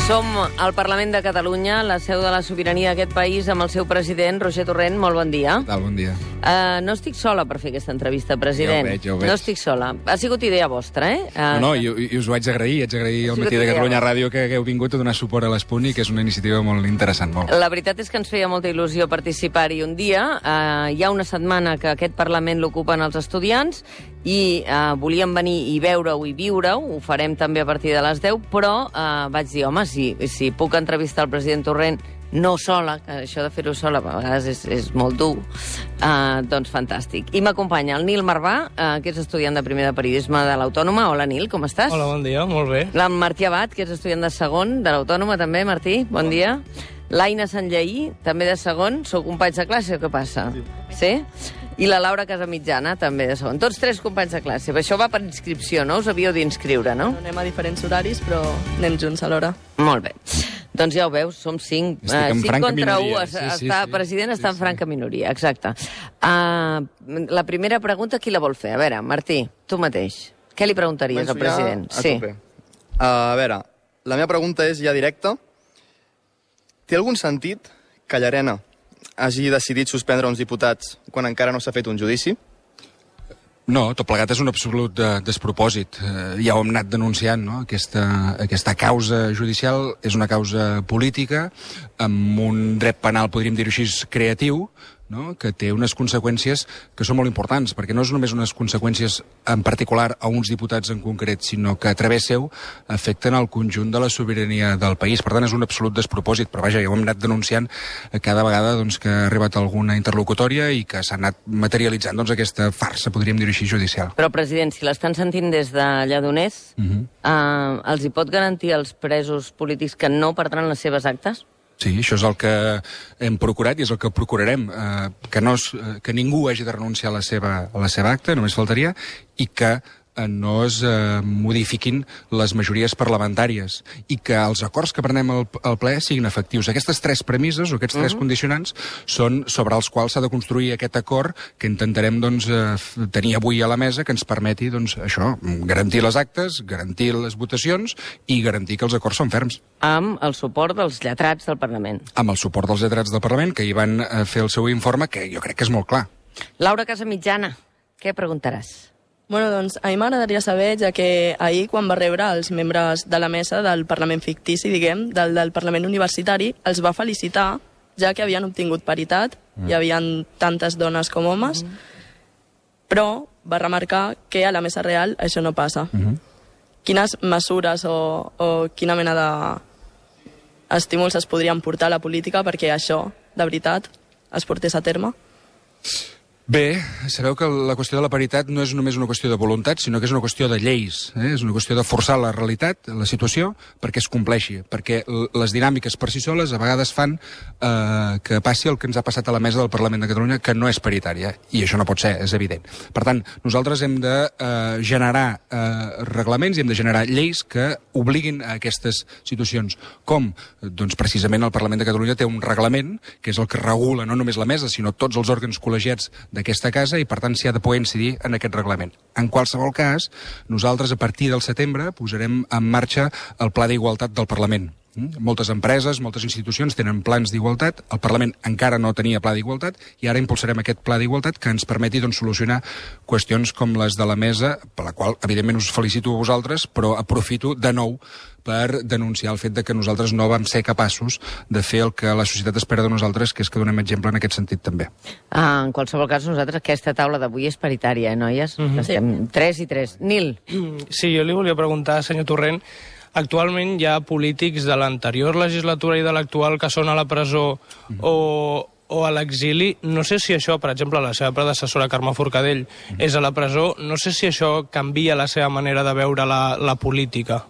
Som al Parlament de Catalunya, la seu de la sobirania d'aquest país, amb el seu president, Roger Torrent. Molt bon dia. Bon dia. No estic sola per fer aquesta entrevista, president. Ja ho veig. No estic sola. Ha sigut idea vostra, eh? I us ho haig d'agrair. Haig d'agrair al Matí de Catalunya Ràdio que hagueu vingut a donar suport a l'Espuni, que és una iniciativa molt interessant. Molt. La veritat és que ens feia molta il·lusió participar-hi un dia. Hi ha una setmana que aquest Parlament l'ocupen els estudiants i volíem venir i veure-ho i viure-ho. Ho farem també a partir de les 10, però vaig dir, home, si puc entrevistar el president Torrent no sola, que això de fer-ho sola a vegades és molt dur, doncs fantàstic. I m'acompanya el Nil Marvà, que és estudiant de primer de periodisme de l'Autònoma. Hola, Nil, com estàs? Hola, bon dia, molt bé. La Martí Abad, que és estudiant de segon de l'Autònoma, també, Martí, bon dia. L'Aina Sanllaí, també de segon. Sou companys de classe o què passa? Sí? I la Laura Casamitjana, també de segon. Tots tres companys de classe. Això va per inscripció, no? Us havíeu d'inscriure, no? Anem a diferents horaris, però anem junts alhora. Molt bé. Doncs ja ho veus, som 5. Estic en 5 franca contra 1. minoria. Sí. President està en franca minoria, exacte. La primera pregunta, qui la vol fer? A veure, Martí, tu mateix. Què li preguntaries al president? A tope. A veure, la meva pregunta és ja directa. Té algun sentit que Llarena hagi decidit suspendre uns diputats quan encara no s'ha fet un judici? No, tot plegat és un absolut despropòsit. Ja ho hem anat denunciant, no? Aquesta causa judicial és una causa política amb un dret penal, podríem dir-ho així, creatiu, no? Que té unes conseqüències que són molt importants, perquè no és només unes conseqüències en particular a uns diputats en concret, sinó que a través seu afecten el conjunt de la sobirania del país. Per tant, és un absolut despropòsit, però vaja, ja ho hem anat denunciant cada vegada doncs, que ha arribat alguna interlocutòria i que s'ha anat materialitzant doncs, aquesta farsa, podríem dir-ho així, judicial. Però, president, si l'estan sentint des de Lledoners, els hi pot garantir als presos polítics que no perdran les seves actes? Sí, això és el que hem procurat i és el que procurarem, que ningú hagi de renunciar a la seva acta, només faltaria, i que no es modifiquin les majories parlamentàries i que els acords que prenem al ple siguin efectius. Aquestes tres premisses o aquests tres condicionants són sobre els quals s'ha de construir aquest acord que intentarem doncs, tenir avui a la mesa, que ens permeti doncs, això, garantir les actes, garantir les votacions i garantir que els acords són ferms. Amb el suport dels lletrats del Parlament. Amb el suport dels lletrats del Parlament, que hi van fer el seu informe, que jo crec que és molt clar. Laura Casamitjana, què preguntaràs? Bueno, doncs, a mi m'agradaria saber, ja que ahir, quan va rebre els membres de la mesa del Parlament fictici, diguem, del Parlament universitari, els va felicitar, ja que havien obtingut paritat, hi havia tantes dones com homes, però va remarcar que a la mesa real això no passa. Quines mesures o quina mena d'estímuls es podrien portar a la política perquè això, de veritat, es portés a terme? Bé, sabeu que la qüestió de la paritat no és només una qüestió de voluntat, sinó que és una qüestió de lleis. És una qüestió de forçar la realitat, la situació, perquè es compleixi. Perquè les dinàmiques per si soles a vegades fan que passi el que ens ha passat a la mesa del Parlament de Catalunya, que no és paritària. I això no pot ser, és evident. Per tant, nosaltres hem de generar reglaments i hem de generar lleis que obliguin a aquestes situacions. Com? Doncs precisament el Parlament de Catalunya té un reglament, que és el que regula no només la mesa, sinó tots els òrgans col·legiats d'aquesta casa i, per tant, s'hi ha de poder incidir en aquest reglament. En qualsevol cas, nosaltres, a partir del setembre, posarem en marxa el Pla d'Igualtat del Parlament. Moltes empreses, moltes institucions tenen plans d'igualtat, el Parlament encara no tenia pla d'igualtat i ara impulsarem aquest pla d'igualtat que ens permeti doncs, solucionar qüestions com les de la mesa, per la qual, evidentment, us felicito a vosaltres, però aprofito de nou per denunciar el fet de que nosaltres no vam ser capaços de fer el que la societat espera de nosaltres, que és que donem exemple en aquest sentit també. En qualsevol cas, nosaltres aquesta taula d'avui és paritària, noies? Estem 3 i 3. Nil. Sí, jo li volia preguntar, senyor Torrent, actualment hi ha polítics de l'anterior legislatura i de l'actual que són a la presó o a l'exili. No sé si això, per exemple, la seva predecessora Carme Forcadell és a la presó. No sé si això canvia la seva manera de veure la política.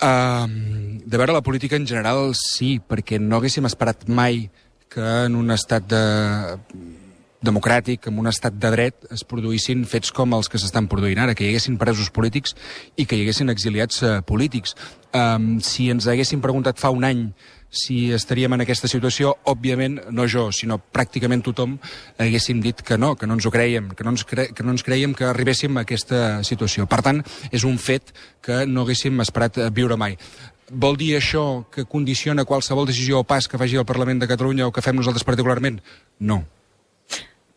De veure la política en general sí, perquè no haguéssim esperat mai que en un estat democràtic, en un estat de dret, es produïssin fets com els que s'estan produint ara, que hi haguessin presos polítics i que hi haguessin exiliats polítics. Si ens haguessin preguntat fa un any si estaríem en aquesta situació, òbviament, no jo, sinó pràcticament tothom, haguéssim dit que no ens ho creiem, que no ens creiem que arribéssim a aquesta situació. Per tant, és un fet que no haguéssim esperat viure mai. Vol dir això que condiciona qualsevol decisió o pas que faci el Parlament de Catalunya o que fem nosaltres particularment? No.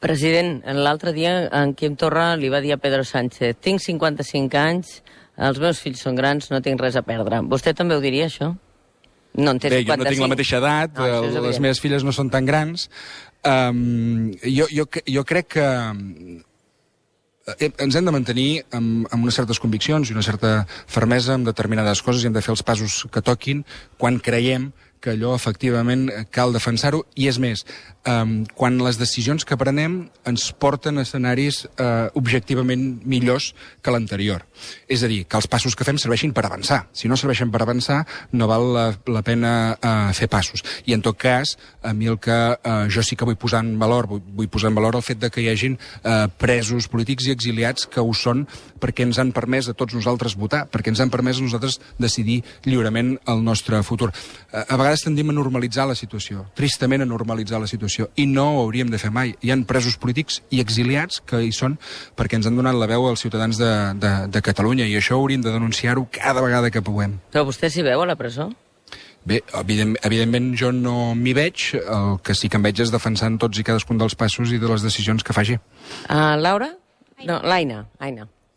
President, l'altre dia en Quim Torra li va dir a Pedro Sánchez: tinc 55 anys, els meus fills són grans, no tinc res a perdre. Vostè també ho diria, això? No en té 55. Bé, jo no tinc la mateixa edat, les meves filles no són tan grans. Jo crec que ens hem de mantenir amb unes certes conviccions i una certa fermesa en determinades coses i hem de fer els passos que toquin quan creiem que allò efectivament cal defensar-ho, i és més, quan les decisions que prenem ens porten a escenaris objectivament millors que l'anterior. És a dir, que els passos que fem serveixin per avançar. Si no serveixen per avançar, no val la pena fer passos. I en tot cas, a mi el que jo sí que vull posar en valor el fet de que hi hagin presos polítics i exiliats que ho són perquè ens han permès a tots nosaltres votar, perquè ens han permès a nosaltres decidir lliurement el nostre futur. A vegades tendim a normalitzar la situació, tristament a normalitzar la situació, i no ho hauríem de fer mai. Hi ha presos polítics i exiliats que hi són perquè ens han donat la veu als ciutadans de Catalunya, i això hauríem de denunciar-ho cada vegada que puguem. Però vostè s'hi veu a la presó? Bé, evidentment jo no m'hi veig, el que sí que em veig és defensant tots i cadascun dels passos i de les decisions que faci. Laura? No, l'Aina.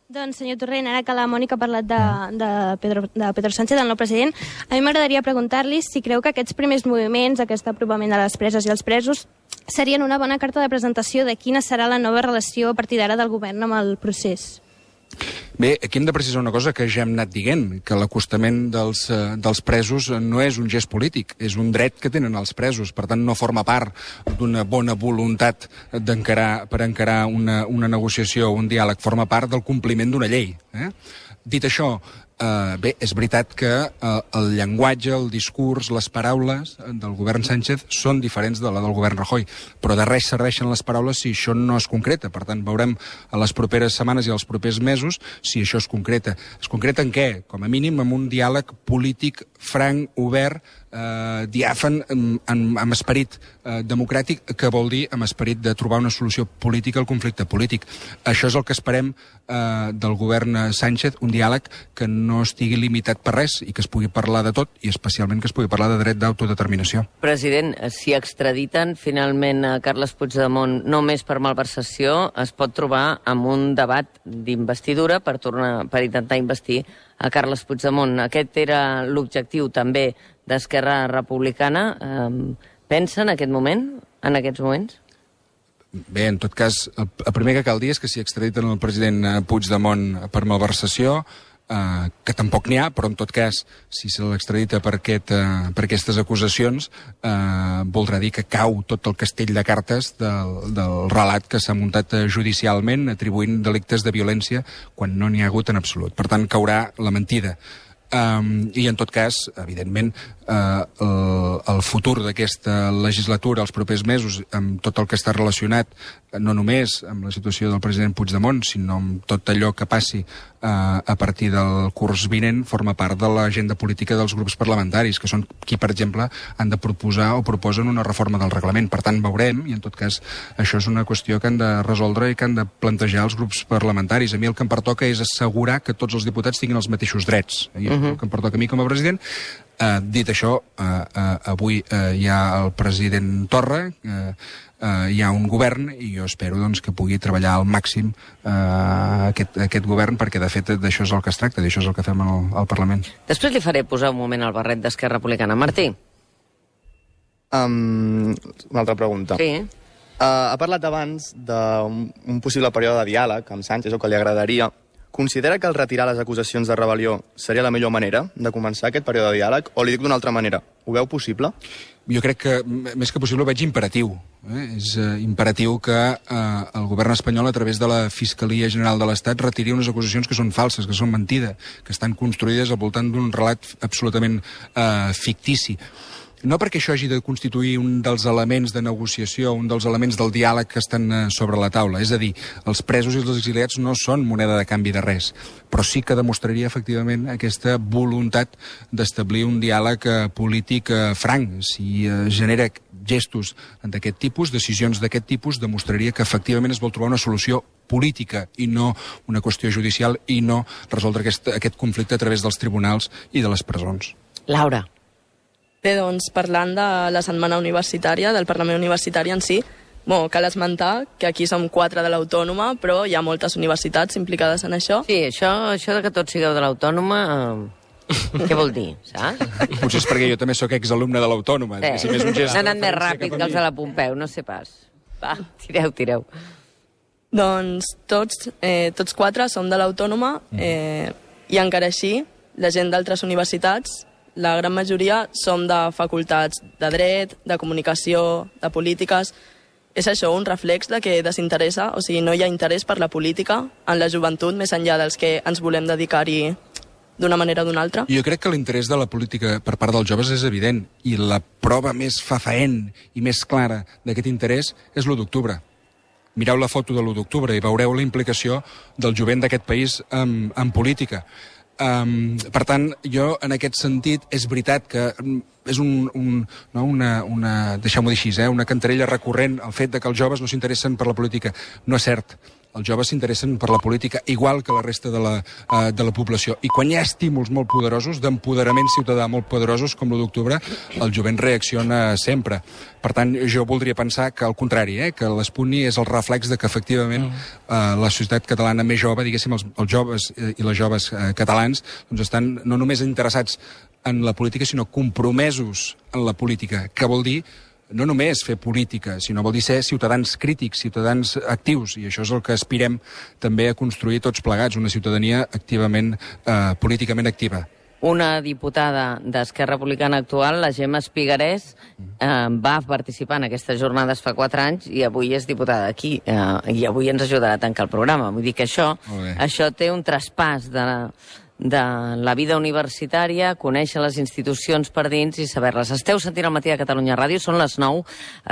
Doncs, senyor Torrent, ara que la Mònica ha parlat de Pedro Sánchez, el nou president, a mi m'agradaria preguntar-li si creu que aquests primers moviments, aquest apropament de les preses i els presos, serien una bona carta de presentació de quina serà la nova relació a partir d'ara del govern amb el procés. Bé, aquí hem de precisar una cosa que ja hem anat dient, que l'acostament dels presos no és un gest polític, és un dret que tenen els presos, per tant no forma part d'una bona voluntat per encarar una negociació o un diàleg, forma part del compliment d'una llei. Dit això, bé, és veritat que el llenguatge, el discurs, les paraules del govern Sánchez són diferents de la del govern Rajoy, però de res serveixen les paraules si això no es concreta. Per tant, veurem a les properes setmanes i als propers mesos si això es concreta. Es concreta en què? Com a mínim amb un diàleg polític franc, obert, diàfan, amb esperit democràtic, que vol dir amb esperit de trobar una solució política al conflicte polític. Això és el que esperem del govern Sánchez, un diàleg que no estigui limitat per res i que es pugui parlar de tot, i especialment que es pugui parlar de dret d'autodeterminació. President, si extraditen finalment a Carles Puigdemont només per malversació, es pot trobar amb un debat d'investidura per intentar investir a Carles Puigdemont. Aquest era l'objectiu també d'Esquerra Republicana. Pensa en aquest moment, en aquests moments? Bé, en tot cas, el primer que cal dir és que si extraditen el president Puigdemont per malversació, que tampoc n'hi ha, però en tot cas, si se l'extradita per aquestes acusacions, voldrà dir que cau tot el castell de cartes del relat que s'ha muntat judicialment atribuint delictes de violència quan no n'hi ha hagut en absolut. Per tant, caurà la mentida. I en tot cas, evidentment, el futur d'aquesta legislatura, els propers mesos, amb tot el que està relacionat no només amb la situació del president Puigdemont, sinó amb tot allò que passi a partir del curs vinent, forma part de l'agenda política dels grups parlamentaris, que són qui, per exemple, han de proposar o proposen una reforma del reglament. Per tant, veurem, i en tot cas això és una qüestió que han de resoldre i que han de plantejar els grups parlamentaris. A mi el que em pertoca és assegurar que tots els diputats tinguin els mateixos drets. I és el que em pertoca a mi com a president. Dit això, avui hi ha el president Torra, hi ha un govern, i jo espero doncs, que pugui treballar al màxim aquest govern, perquè de fet d'això és el que es tracta, d'això és el que fem al Parlament. Després li faré posar un moment al barret d'Esquerra Republicana. Martí. Una altra pregunta. Sí. Ha parlat abans d'un possible període de diàleg amb Sánchez, o que li agradaria. Considera que el retirar les acusacions de rebel·lió seria la millor manera de començar aquest període de diàleg? O li dic d'una altra manera, ho veu possible? Jo crec que, més que possible, ho veig imperatiu. És imperatiu que el govern espanyol, a través de la Fiscalia General de l'Estat, retiri unes acusacions que són falses, que són mentida, que estan construïdes al voltant d'un relat absolutament fictici. no perquè això hagi de constituir un dels elements de negociació, un dels elements del diàleg que estan sobre la taula. És a dir, els presos i els exiliats no són moneda de canvi de res, però sí que demostraria efectivament aquesta voluntat d'establir un diàleg polític franc. Si genera gestos d'aquest tipus, decisions d'aquest tipus, demostraria que efectivament es vol trobar una solució política i no una qüestió judicial i no resoldre aquest conflicte a través dels tribunals i de les presons. Laura. Bé, doncs, parlant de la setmana universitària, del Parlament Universitari en si, cal esmentar que aquí som 4 de l'Autònoma, però hi ha moltes universitats implicades en això. Sí, això de que tots sigueu de l'Autònoma... Què vol dir, saps? Potser és perquè jo també sóc exalumne de l'Autònoma. Sí. S'ha anat més ràpid que els de la Pompeu, no sé pas. Va, tireu. Doncs tots 4 som de l'Autònoma i encara així, la gent d'altres universitats, la gran majoria som de facultats de dret, de comunicació, de polítiques. És això, un reflex de que desinteressa, o sigui, no hi ha interès per la política en la joventut, més enllà dels que ens volem dedicar-hi d'una manera o d'una altra. Jo crec que l'interès de la política per part dels joves és evident, i la prova més fefaent i més clara d'aquest interès és l'1 d'octubre. Mireu la foto de l'1 d'octubre i veureu la implicació del jovent d'aquest país en política. Per tant, jo, en aquest sentit, és veritat que és deixeu-m'ho dir així, una cantarella recurrent el fet de que els joves no s'interessen per la política. No és cert. Els joves s'interessen per la política igual que la resta de la població. I quan hi ha estímuls molt poderosos, d'empoderament ciutadà molt poderosos, com l'1 d'octubre, el jovent reacciona sempre. Per tant, jo voldria pensar que, al contrari, que l'Esputni és el reflex de que, efectivament, la societat catalana més jove, diguéssim, els joves i les joves catalans, doncs estan no només interessats en la política, sinó compromesos en la política, que vol dir no només fer política, sinó vol dir ser ciutadans crítics, ciutadans actius, i això és el que aspirem també a construir tots plegats, una ciutadania activament, políticament activa. Una diputada d'Esquerra Republicana actual, la Gemma Espigarés, va participar en aquestes jornades fa 4 anys i avui és diputada aquí, i avui ens ajudarà a tancar el programa. Vull dir que això té un traspàs de la vida universitària, conèixer les institucions per dins i saber-les. Esteu sentint al Matí de Catalunya Ràdio, són les 9.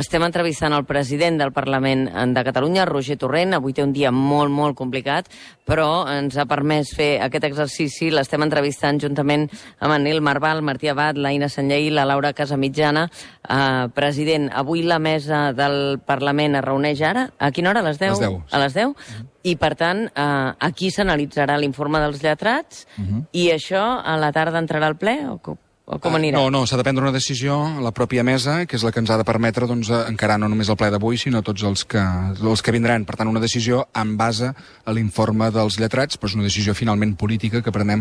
Estem entrevistant el president del Parlament de Catalunya, Roger Torrent. Avui té un dia molt, molt complicat, però ens ha permès fer aquest exercici. L'estem entrevistant juntament amb en Nil Marval, Martí Abad, l'Aina Sanllehí, la Laura Casamitjana. President, avui la mesa del Parlament es reuneix ara. A quina hora? A les 10? A les 10? I, per tant, aquí s'analitzarà l'informe dels lletrats i això a la tarda entrarà al ple o com anirà? No, s'ha de prendre una decisió a la pròpia mesa, que és la que ens ha de permetre encarar no només el ple d'avui, sinó tots els que vindran. Per tant, una decisió en base a l'informe dels lletrats, però és una decisió finalment política que prenem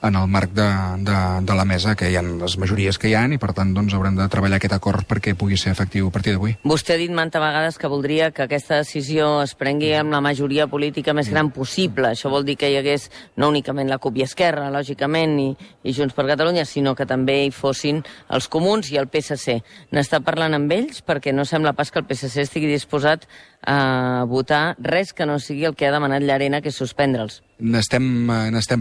en el marc de la mesa, que hi ha les majories que hi ha, i per tant haurem de treballar aquest acord perquè pugui ser efectiu a partir d'avui. Vostè ha dit mantes vegades que voldria que aquesta decisió es prengui amb la majoria política més gran possible. Això vol dir que hi hagués no únicament la CUP i Esquerra, lògicament, i Junts per Catalunya, sinó que també hi fossin els comuns i el PSC. N'està parlant amb ells perquè no sembla pas que el PSC estigui disposat a votar res que no sigui el que ha demanat Llarena, que és suspendre'ls. N'estem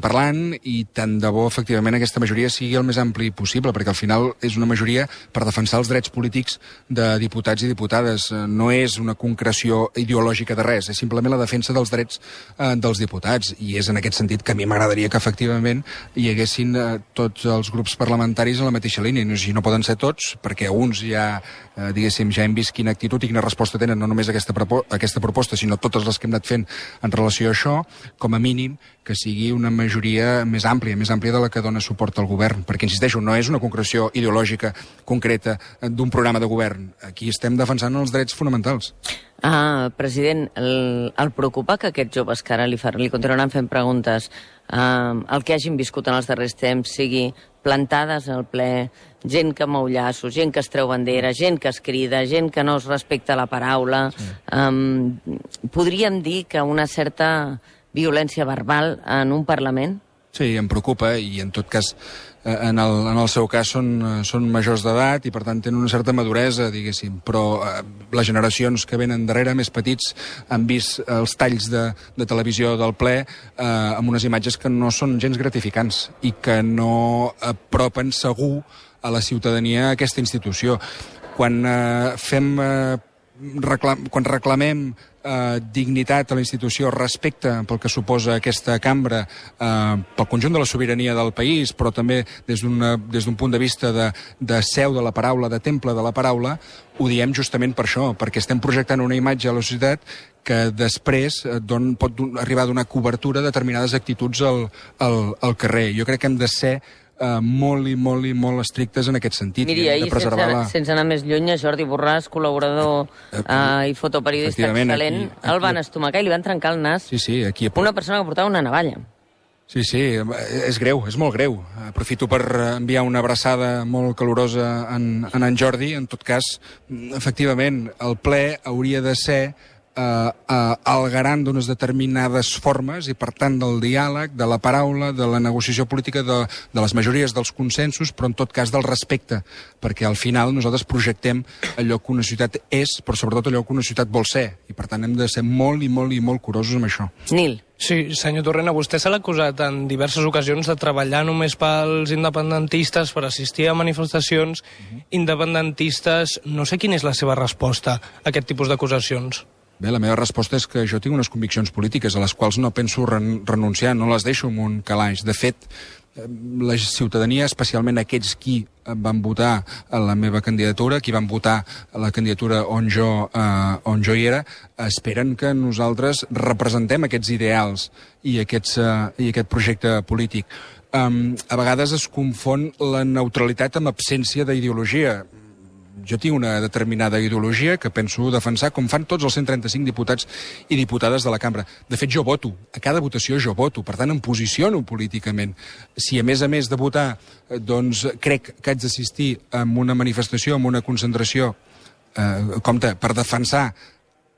parlant i tant de bo, efectivament, aquesta majoria sigui el més ampli possible, perquè al final és una majoria per defensar els drets polítics de diputats i diputades. No és una concreció ideològica de res, és simplement la defensa dels drets dels diputats, i és en aquest sentit que a mi m'agradaria que efectivament hi haguessin tots els grups parlamentaris en la mateixa línia. No poden ser tots, perquè uns ja hem vist quina actitud i quina resposta tenen, no només aquesta proposta, sinó totes les que hem anat fent en relació a això, com a mínim que sigui una majoria més àmplia de la que dona suport al govern, perquè, insisteixo, no és una concreció ideològica concreta d'un programa de govern. Aquí estem defensant els drets fonamentals. President, el preocupa que aquests joves que ara li continuaran fent preguntes, el que hagin viscut en els darrers temps sigui plantades al ple, gent que mou llaços, gent que es treu bandera, gent que es crida, gent que no es respecta la paraula. Podríem dir que una certa violència verbal en un Parlament? Sí, em preocupa, i en tot cas, en el seu cas són majors d'edat i per tant tenen una certa maduresa, diguéssim, però les generacions que venen darrere, més petits, han vist els talls de televisió del ple amb unes imatges que no són gens gratificants i que no apropen segur a la ciutadania aquesta institució. Quan reclamem dignitat a la institució, respecte pel que suposa aquesta cambra, pel conjunt de la sobirania del país, però també des d'un punt de vista de seu de la paraula, de temple de la paraula, ho diem justament per això, perquè estem projectant una imatge a la societat que després pot arribar a donar cobertura a determinades actituds al carrer. Jo crec que hem de ser molt i molt estrictes en aquest sentit. Miri, ahir, sense anar més lluny, Jordi Borràs, col·laborador i fotoperiodista excel·lent, el van estomacar i li van trencar el nas una persona que portava una navalla. Sí, és greu, és molt greu. Aprofito per enviar una abraçada molt calorosa en Jordi. En tot cas, efectivament, el ple hauria de ser el garant d'unes determinades formes i, per tant, del diàleg, de la paraula, de la negociació política, de les majories dels consensos, però en tot cas del respecte, perquè al final nosaltres projectem allò que una ciutat és, però sobretot allò que una ciutat vol ser, i per tant hem de ser molt curosos amb això. Nil. Sí, senyor Torrent, a vostè se l'ha acusat en diverses ocasions de treballar només pels independentistes, per assistir a manifestacions independentistes. No sé quina és la seva resposta a aquest tipus d'acusacions. Bé, la meva resposta és que jo tinc unes conviccions polítiques a les quals no penso renunciar, no les deixo en un calaix. De fet, la ciutadania, especialment aquells qui van votar a la meva candidatura, qui van votar a la candidatura on jo hi era, esperen que nosaltres representem aquests ideals i aquest projecte polític. A vegades es confon la neutralitat amb absència d'ideologia. Jo tinc una determinada ideologia que penso defensar, com fan tots els 135 diputats i diputades de la cambra. De fet, jo voto. A cada votació jo voto. Per tant, em posiciono políticament. Si, a més de votar, doncs crec que haig d'assistir a una manifestació, a una concentració, per defensar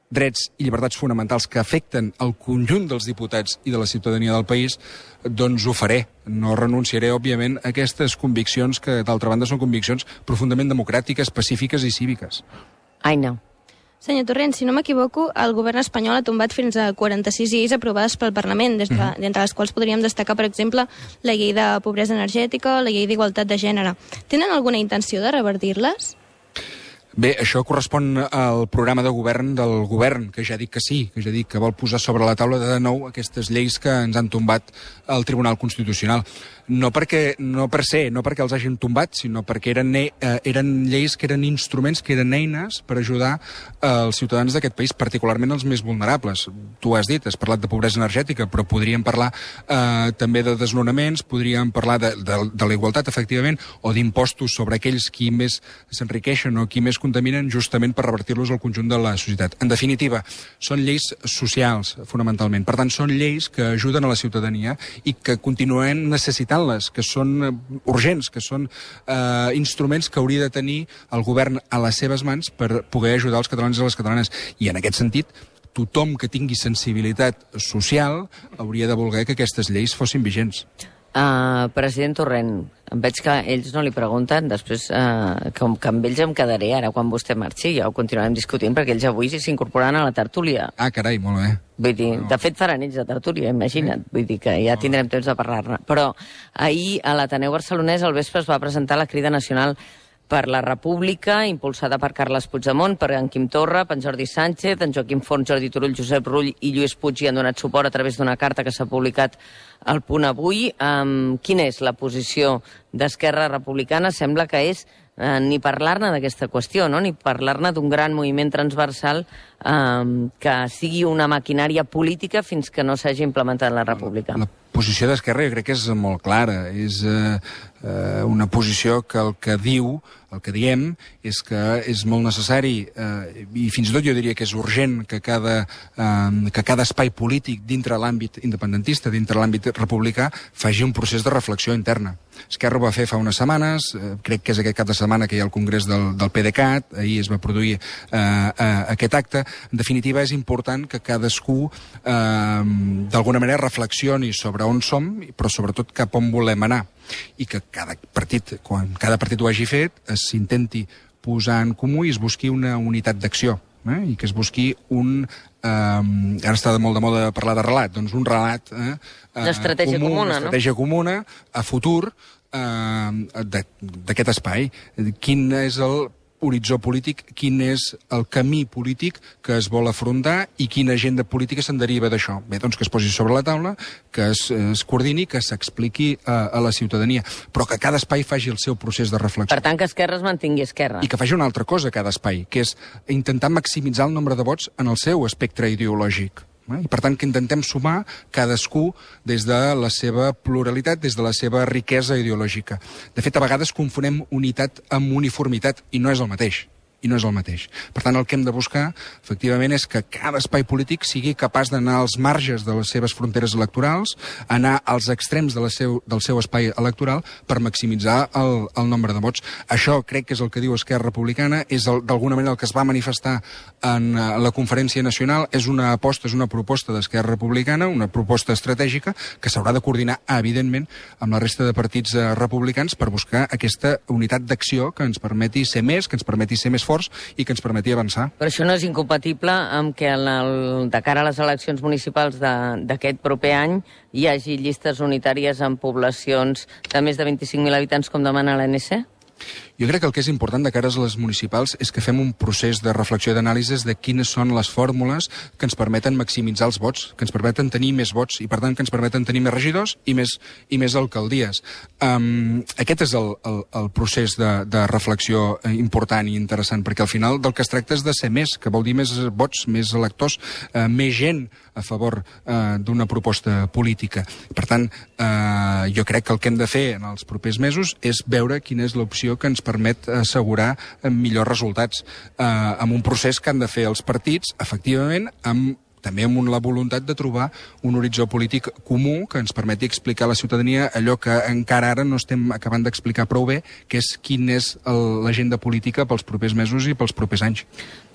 drets i llibertats fonamentals que afecten el conjunt dels diputats i de la ciutadania del país, doncs ho faré. No renunciaré, òbviament, a aquestes conviccions que, d'altra banda, són conviccions profundament democràtiques, pacífiques i cíviques. Aina. Senyor Torrent, si no m'equivoco, el govern espanyol ha tombat fins a 46 lleis aprovades pel Parlament, d'entre les quals podríem destacar, per exemple, la llei de pobresa energètica o la llei d'igualtat de gènere. Tenen alguna intenció de revertir-les? Bé, això correspon al programa de govern del govern, que ja dic que sí, que ja dic que vol posar sobre la taula de nou aquestes lleis que ens han tombat al Tribunal Constitucional. No per què els hagin tombat, sinó perquè eren lleis que eren instruments, que eren eines per ajudar els ciutadans d'aquest país, particularment els més vulnerables. Tu has dit, has parlat de pobresa energètica, però podríem parlar també de desnonaments, podríem parlar de la igualtat, efectivament, o d'impostos sobre aquells qui més s'enriqueixen o qui més contaminen, justament per revertir-los al conjunt de la societat. En definitiva, són lleis socials, fonamentalment. Per tant, són lleis que ajuden a la ciutadania i que continuem necessitant-les, que són urgents, que són instruments que hauria de tenir el govern a les seves mans per poder ajudar els catalans i les catalanes. I en aquest sentit, tothom que tingui sensibilitat social hauria de voler que aquestes lleis fossin vigents. President Torrent, em veig que ells no li pregunten, després com que amb ells em quedaré ara quan vostè marxi, ja ho continuarem discutint, perquè ells avui s'incorporaran a la tertúlia. Ah, carai, molt bé. Vull dir, de fet faran ells la tertúlia, imagina't, vull dir que ja tindrem temps de parlar-ne. Però ahir a l'Ateneu Barcelonès al vespre es va presentar la Crida Nacional per la República, impulsada per Carles Puigdemont, per en Quim Torra, per en Jordi Sánchez, en Joaquim Forn, Jordi Turull, Josep Rull i Lluís Puig hi han donat suport a través d'una carta que s'ha publicat al Punt Avui. Quina és la posició d'Esquerra Republicana? Sembla que és ni parlar-ne d'aquesta qüestió, no? Ni parlar-ne d'un gran moviment transversal que sigui una maquinària política fins que no s'hagi implementat la República. La posició d'Esquerra jo crec que és molt clara. És una posició que el que diu, el que diem, és que és molt necessari i fins i tot jo diria que és urgent que cada espai polític dintre l'àmbit independentista, dintre l'àmbit republicà, faci un procés de reflexió interna. Esquerra ho va fer fa unes setmanes, crec que és aquest cap de setmana que hi ha el congrés del PDeCAT, ahir es va produir aquest acte. En definitiva, és important que cadascú d'alguna manera reflexioni sobre on som, però sobretot cap on volem anar. I que cada partit, quan cada partit ho hagi fet, s'intenti posar en comú i es busqui una unitat d'acció. I que es busqui un... ara està molt de moda parlar de relat, doncs un relat d'estratègia comuna, una estratègia comuna a futur d'aquest espai. Quin és el horitzó polític, quin és el camí polític que es vol afrontar i quina agenda política se'n deriva d'això. Bé, doncs que es posi sobre la taula, que es coordini, que s'expliqui a la ciutadania, però que cada espai faci el seu procés de reflexió. Per tant, que Esquerra es mantingui Esquerra. I que faci una altra cosa cada espai, que és intentar maximitzar el nombre de vots en el seu espectre ideològic. I, per tant, que intentem sumar cadascú des de la seva pluralitat, des de la seva riquesa ideològica. De fet, a vegades confonem unitat amb uniformitat, i no és el mateix. Per tant, el que hem de buscar, efectivament, és que cada espai polític sigui capaç d'anar als marges de les seves fronteres electorals, anar als extrems del seu espai electoral per maximitzar el nombre de vots. Això crec que és el que diu Esquerra Republicana, és d'alguna manera el que es va manifestar en la Conferència Nacional, és una aposta, és una proposta d'Esquerra Republicana, una proposta estratègica que s'haurà de coordinar, evidentment, amb la resta de partits republicans per buscar aquesta unitat d'acció que ens permeti ser més, que ens permeti ser més forts i que ens permeti avançar. Però això no és incompatible amb que de cara a les eleccions municipals d'aquest proper any hi hagi llistes unitàries en poblacions de més de 25.000 habitants, com demana l'ANC? Jo crec que el que és important de cara a les municipals és que fem un procés de reflexió i d'anàlisis de quines són les fórmules que ens permeten maximitzar els vots, que ens permeten tenir més vots i, per tant, que ens permeten tenir més regidors i més alcaldies. Aquest és el procés de reflexió important i interessant, perquè al final del que es tracta és de ser més, que vol dir més vots, més electors, més gent a favor d'una proposta política. Per tant, jo crec que el que hem de fer en els propers mesos és veure quina és l'opció que ens permet assegurar millors resultats amb un procés que han de fer els partits, efectivament, també amb la voluntat de trobar un horitzó polític comú que ens permeti explicar a la ciutadania allò que encara ara no estem acabant d'explicar prou bé, que és quina és l'agenda política pels propers mesos i pels propers anys.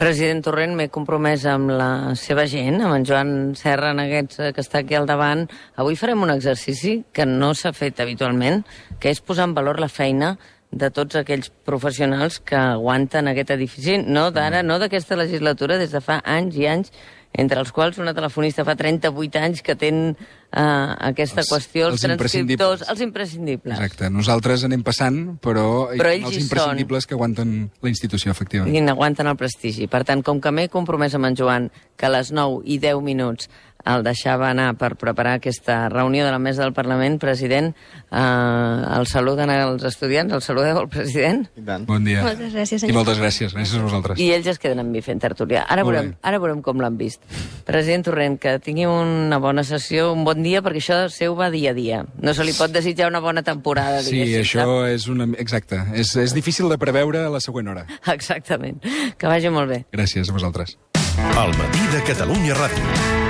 President Torrent, m'he compromès amb la seva gent, amb en Joan Serra, que està aquí al davant. Avui farem un exercici que no s'ha fet habitualment, que és posar en valor la feina de tots aquells professionals que aguanten aquest edifici, no d'ara, no d'aquesta legislatura, des de fa anys i anys, entre els quals una telefonista fa 38 anys que ten aquesta qüestió, els transcriptors, els imprescindibles. Exacte, nosaltres anem passant, però ells els imprescindibles que aguanten la institució, efectivament. I aguanten el prestigi. Per tant, com que m'he compromès amb en Joan que a les 9:10 el deixava anar per preparar aquesta reunió de la mesa del Parlament, president, el saluden als estudiants, el saludeu al president? I tant. Bon dia. Moltes gràcies, senyor. I moltes gràcies a vosaltres. I ells es queden amb mi fent tertúlia. Ara veurem com l'han vist. President Torrent, que tingui una bona sessió, un bon dia, perquè això seu va dia a dia. No se li pot desitjar una bona temporada, diguéssim. Sí, això és exacte. És difícil de preveure a la següent hora. Exactament. Que vagi molt bé. Gràcies a vosaltres. Al matí de Catalunya Ràdio.